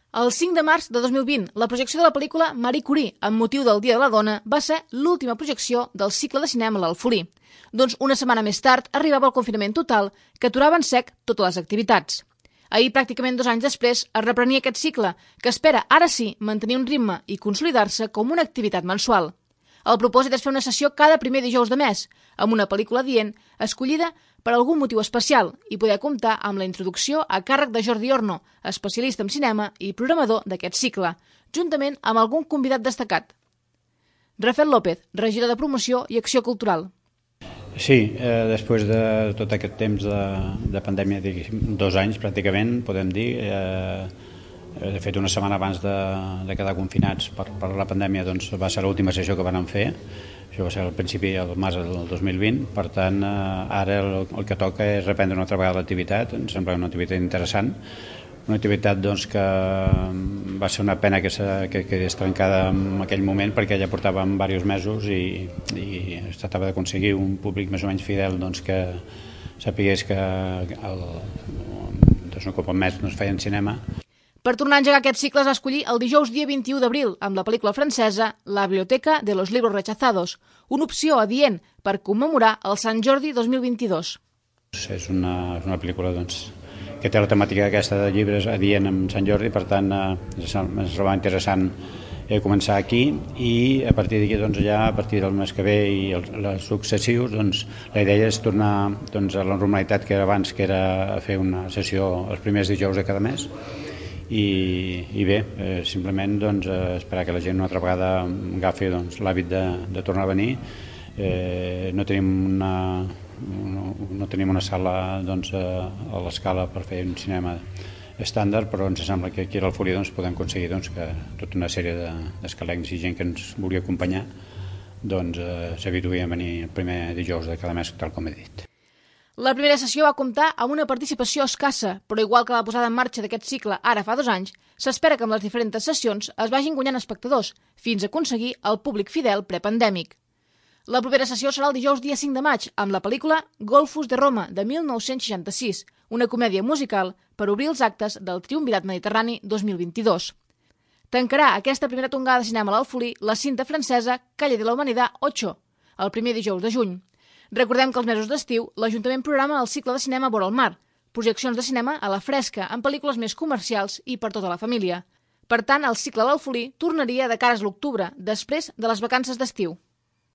El 5 de març de 2020, la projecció de la pel·lícula Marie Curie, amb motiu del Dia de la Dona, va ser l'última projecció del cicle de cinema a l'Alfolí. Doncs una setmana més tard arribava el confinament total, que aturava en sec totes les activitats. Ahir, pràcticament 2 anys després, es reprenia aquest cicle, que espera, ara sí, mantenir un ritme i consolidar-se com una activitat mensual. El propòsit és fer una sessió cada primer dijous de mes, amb una pel·lícula adient, escollida per algun motiu especial, i poder comptar amb la introducció a càrrec de Jordi Orno, especialista en cinema i programador d'aquest cicle, juntament amb algun convidat destacat. Rafael López, regidor de Promoció i Acció Cultural. Sí, després de tot aquest temps de pandèmia, 2 anys pràcticament, podem dir, de fet una setmana abans de quedar confinats per la pandèmia, doncs va ser l'última sessió que vam fer. Això va ser al principi del març del 2020, per tant ara el que toca és reprendre una altra vegada l'activitat. Ens sembla una activitat interessant, una activitat doncs, que va ser una pena que quedés trencada en aquell moment, perquè ja portàvem diversos mesos i es tractava d'aconseguir un públic més o menys fidel, doncs, que sapigués que un cop al mes feien cinema. Per tornar a engegar aquest cicle es va escollir el dijous dia 21 d'abril amb la pel·lícula francesa La Biblioteca de los Libros Rechazados, una opció adient per commemorar el Sant Jordi 2022. És una pel·lícula que té la temàtica aquesta de llibres adient amb Sant Jordi, per tant ens trobava interessant començar aquí i a partir d'aquí ja a partir del mes que ve i els successius la idea és tornar a la normalitat que era abans, que era fer una sessió els primers dijous de cada mes. I bé, simplement esperar que la gent una altra vegada agafi l'hàbit de tornar a venir. No tenim una sala a l'escala per fer un cinema estàndard, però ens sembla que aquí a l'Alfolí podem aconseguir que tota una sèrie d'escalencs i gent que ens volia acompanyar s'habituï a venir el primer dijous de cada mes, tal com he dit. La primera sessió va comptar amb una participació escassa, però igual que la posada en marxa d'aquest cicle ara fa 2 anys, s'espera que amb les diferents sessions es vagin guanyant espectadors, fins a aconseguir el públic fidel prepandèmic. La propera sessió serà el dijous dia 5 de maig, amb la pel·lícula Golfus de Roma, de 1966, una comèdia musical per obrir els actes del Triumvirat Mediterrani 2022. Tancarà aquesta primera tongada de cinema a l'Alfolí la cinta francesa Calle de la Humanidad 8, el primer dijous de juny. Recordem que els mesos d'estiu l'Ajuntament programa el cicle de cinema Vora el Mar, projeccions de cinema a la fresca amb pel·lícules més comercials i per tota la família. Per tant, el cicle a l'Alfolí tornaria de cara a l'octubre, després de les vacances d'estiu.